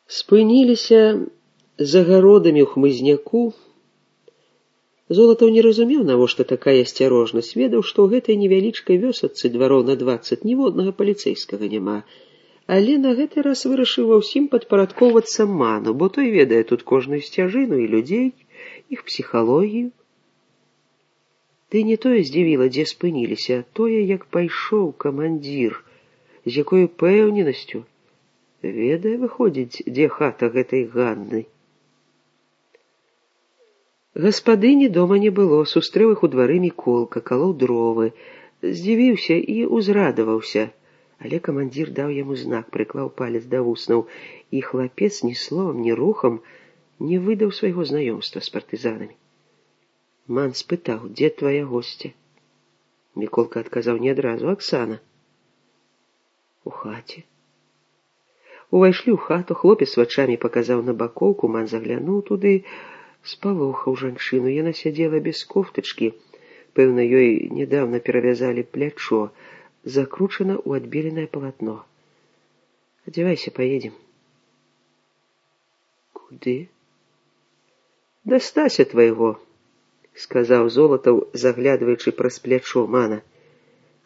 Спыніліся за гародамі ў хмызняку. Золатаў не разумеў, навошта такая асцярожнасць, ведаў, што ў гэтай невялічкай вёсачцы двароў на 20 ніводнага паліцэйскага няма, але на гэты раз вырашыў ва ўсім падпарадкоўвацца Ману, бо той ведае тут кожную сцяжыну і людзей, іх псіхалогію. Ды не тое здзівіла, дзе спыніліся, а тое, як пайшоў камандзір, з якой упэўненасцю. Ведае, выходзіць, дзе хата гэтай Ганны. Гаспадыні дома не было, сустрэў іх у двары Міколка, калоў дровы, здзівіўся і узрадаваўся, але камандзір даў яму знак, прыклаў палец да вуснаў, і хлапец ні словам, ні рухам не выдаў свайго знаёмства з партызанамі. Ман спытаў, дзе твая госця? Міколка адказаў не адразу, Аксана. У хаце. Увайшлі ў хату, хлопец вачамі паказаў на бакоўку, Ман заглянуў туды, спалохаў жанчыну. Яна сядзела без кофтачкі, пэўна, ёй нядаўна перавязалі плячо, закручана ў адбеленае палатно. Адзявайся, паедзем. Куды? Да Стася твайго, сказаў Золатаў, заглядваючы праз плячо Мана.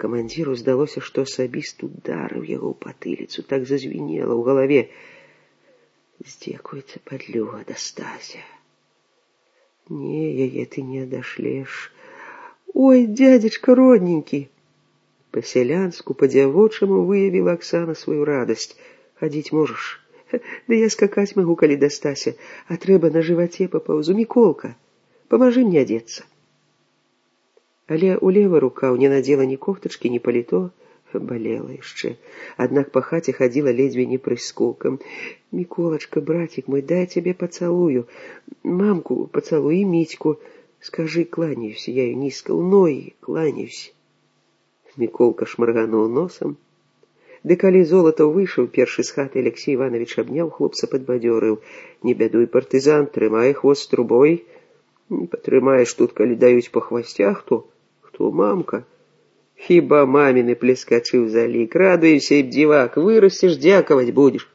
Камандзіру здалося, што асабіст ударыў яго ў патыліцу, так зазвінела ў галаве. Здзекуецца падлюга, да Стася. Не, яе ты не адашлеш. Ой, дядзечка родненькі! Па-сялянску, па-дзявочаму выявіла Аксана сваю радасць. Хадзіць можаш? Да я скакаць магу, калі да Стася, а трэба на жываце папаўзу. Міколка, памажы мне адзецца. Але ў левай рукаў не надзела ні кофтачкі, ні паліто, балела яшчэ. Аднак па хаце хадзіла ледзьве не прыскокам. Міколачка, братик мой, дай цябе пацалую. Мамку пацалуй і Мітьку. Скажы, кланяюся я ёй нізка, ў ногі кланяюся. Міколка шмаргануў носам. Ды калі Золатаў выйшаў першы з хаты, Алексей Иванович абняў хлопца, падбадзёрыў. Не бядуй, партызан, трымай хвост трубой. Не патрымаеш тут, калі даюць па хвасцях, то хто мамка? Хіба маміны плескачы ў залік. Радуйся, і бдзівак, вырасцеш, дзякаваць будзеш.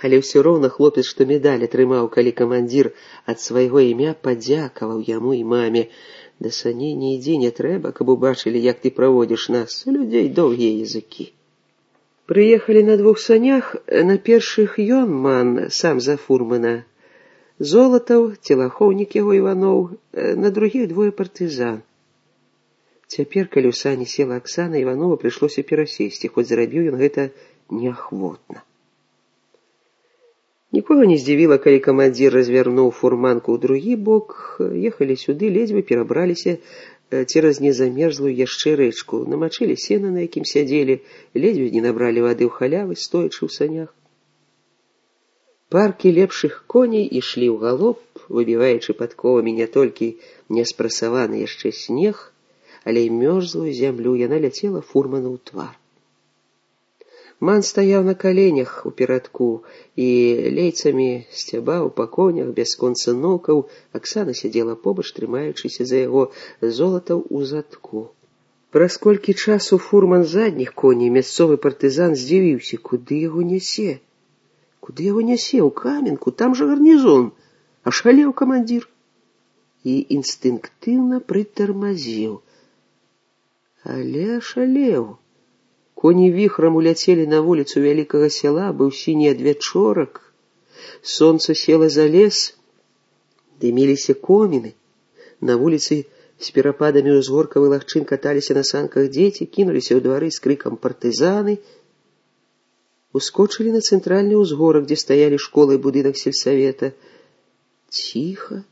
Але ўсё роўна хлопец, што медаль атрымаў, калі камандзір ад свайго імя падзякаваў яму і маме. Да саней не ідзі, не трэба, каб убачылі, як ты праводзіш нас. У людзей доўгія языкі. Прыехалі на 2 санях, на першых ён, Ман, сам за фурмана. Золатаў, целахоўнік яго Іваноў, на другіх 2 партызан. Цяпер, калі ў сані села Аксана, Іванова прыйшлося перасесці, хоць зрабіў ён гэта неахвотна. Нікога не здзівіла, калі камандзір развярнуў фурманку ў другі бок, ехалі сюды, ледзьве перабраліся цераз незамерзлую яшчэ рэчку, намачылі сена, на якім сядзелі, ледзьве не набралі вады ў халявы, стоячы ў санях. Паркі лепшых коней ішлі ў галоп, выбіваючы падковамі не толькі неспрасаваны яшчэ снег, але і мёрзлую зямлю. Яна ляцела фурману ў твар. Ман стаяў на каленях у перадку і лейцамі сцябаў па конях бясконца нокаў. Аксана сядзела побач, трымаючыся за яго, Золатаў у задку. Праз колькі часу фурман задніх коней, мясцовы партызан, здзівіўся, куды яго нясе. Куды яго нясе? У Каменку, там жа гарнізон. Ашалеў камандзір. І інстынктыўна прытармазіў. Але ашалеў. Коні віхрам уляцелі на вуліцу вялікага сяла, быў сіні адвячорак. Сонца села за лес, дыміліся коміны. На вуліцы з перападамі ўзгоркавых лагчын каталіся на санках дзеці, кінуліся ў двары з крыкам партызаны. Ускочылі на цэнтральны ўзгорак, дзе стаялі школа і будынак сельсавета. Ціха.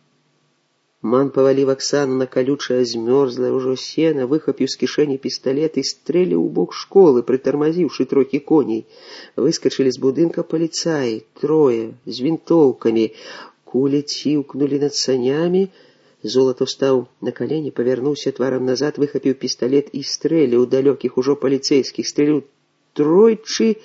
Ман паваліў Аксану на калючае змёрзлае ўжо сена, выхапіў з кішэні пісталет і стрэліў у бок школы, прытармазіўшы трохі коней. Выскачылі з будынка паліцаі, 3, з вінтоўкамі. Кулі ціўкнулі над санямі. Золатаў стаў на калені, павярнуўся тварам назад, выхапіў пісталет і стрэліў далёкіх ужо паліцэйскіх. Стрэліў 3,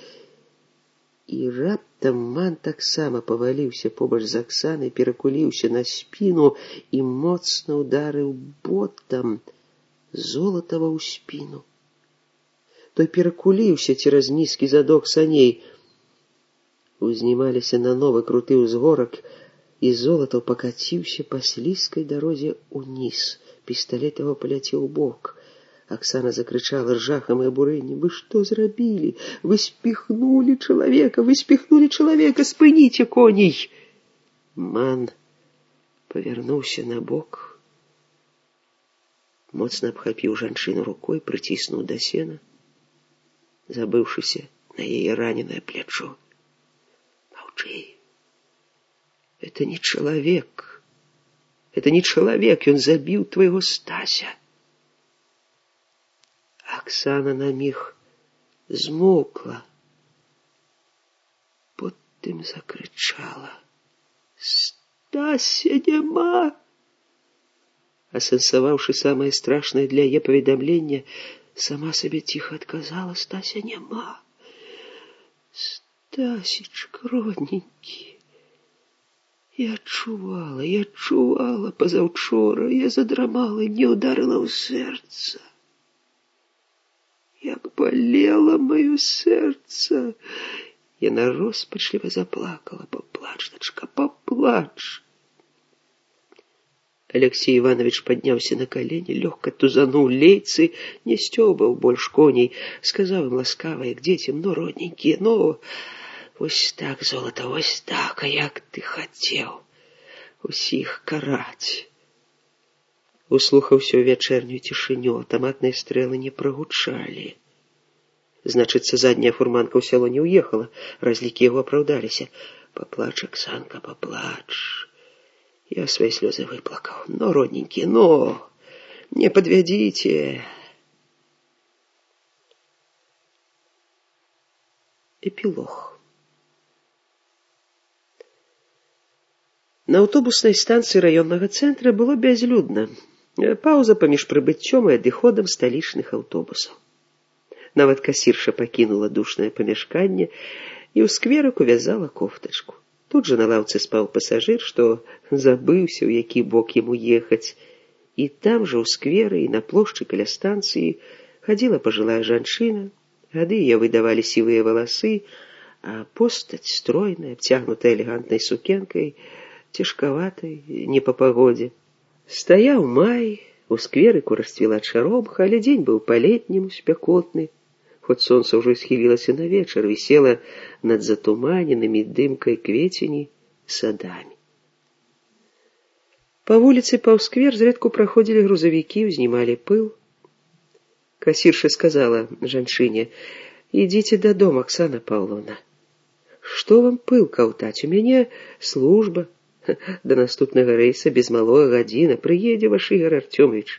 і раптам Ман таксама паваліўся побач з Аксанай, перакуліўся на спіну і моцна ударыў ботам Золатава ў спіну. Той перакуліўся цераз нізкі задок саней. Узнімаліся на новы круты ўзгорак, і Золатаў пакаціўся па слізкай дарозе ўніз. Пісталет яго паляцеў у бок. Оксана закричала с жахом и обурением: «Вы что зрабілі? Вы спихнули человека! Вы спихнули человека! Спыніце коней!» Ман повернулся на бок, моцна абхапіў жанчыну рукой, прыціснуў да сена, забыўшыся на яе раненое плечо. «Молчи! Это не человек! Это не человек! Он забил твоего Стася!» Оксана на миг змоўкла, потым закричала: «Стася няма!» Асэнсаваўшы самае страшнае для яе паведамлення, сама сабе ціха адказала: «Стася няма! Стасечка, родненькі, я адчувала пазаўчора, я задрамала, і мне ударыла ў сэрца. Як болело мое сердце!» Яна роспачліва заплакала. «Поплачь, дочка, поплачь!» Алексей Иванович поднялся на колени, легко тузанул лейцы, не стёбал больше коней, сказал им ласкаво, к детям: «Ну, родненькие, ну, вось так, Золото, вось так, а як ты хотел усіх караць!» Услухаўся ў вячэрнюю цішыню, аўтаматныя стрэлы не прагучалі. Значыцца, задняя фурманка ў сяло не ўехала, разлікі яго апраўдаліся. «Поплачь, Оксанка, поплачь. Я свои слезы выплакал. Но, родненькие, но, не подведите!» Эпилог. На аўтобуснай станцыі раённага цэнтра было бязлюдна. Пауза паміж прыбыццём і адыходам сталічных аўтобусаў. Нават касірша пакінула душнае памяшканне і ў скверыку вязала кофтачку. Тут жа на лаўцы спаў пасажыр, што забыўся, у які бок яму ехаць. І там жа ў скверы і на плошчы каля станцыі хадзіла пажылая жанчына. Гады яе выдавалі сівыя валасы, а постаць стройная, абцягнутая элегантнай сукенкай, цяжкаватай, не па пагодзе. Стаяў май, у скверыку расцвіла чаромха, але дзень быў па-летняму спякотны. Хоць сонца ўжо схілілася на вечар, вісела над затуманенымі дымкай квецені садамі. Па вуліцы паўз сквер зрэдку праходзілі грузавікі, узнімалі пыл. Касірша сказала жанчыне: «Ідзіце дадому, Оксана Павловна. Што вам пыл каўтаць? У мяне служба. До наступнага рэйса без малога гадзіна. Прыедзе ваш Ігор Артёмович.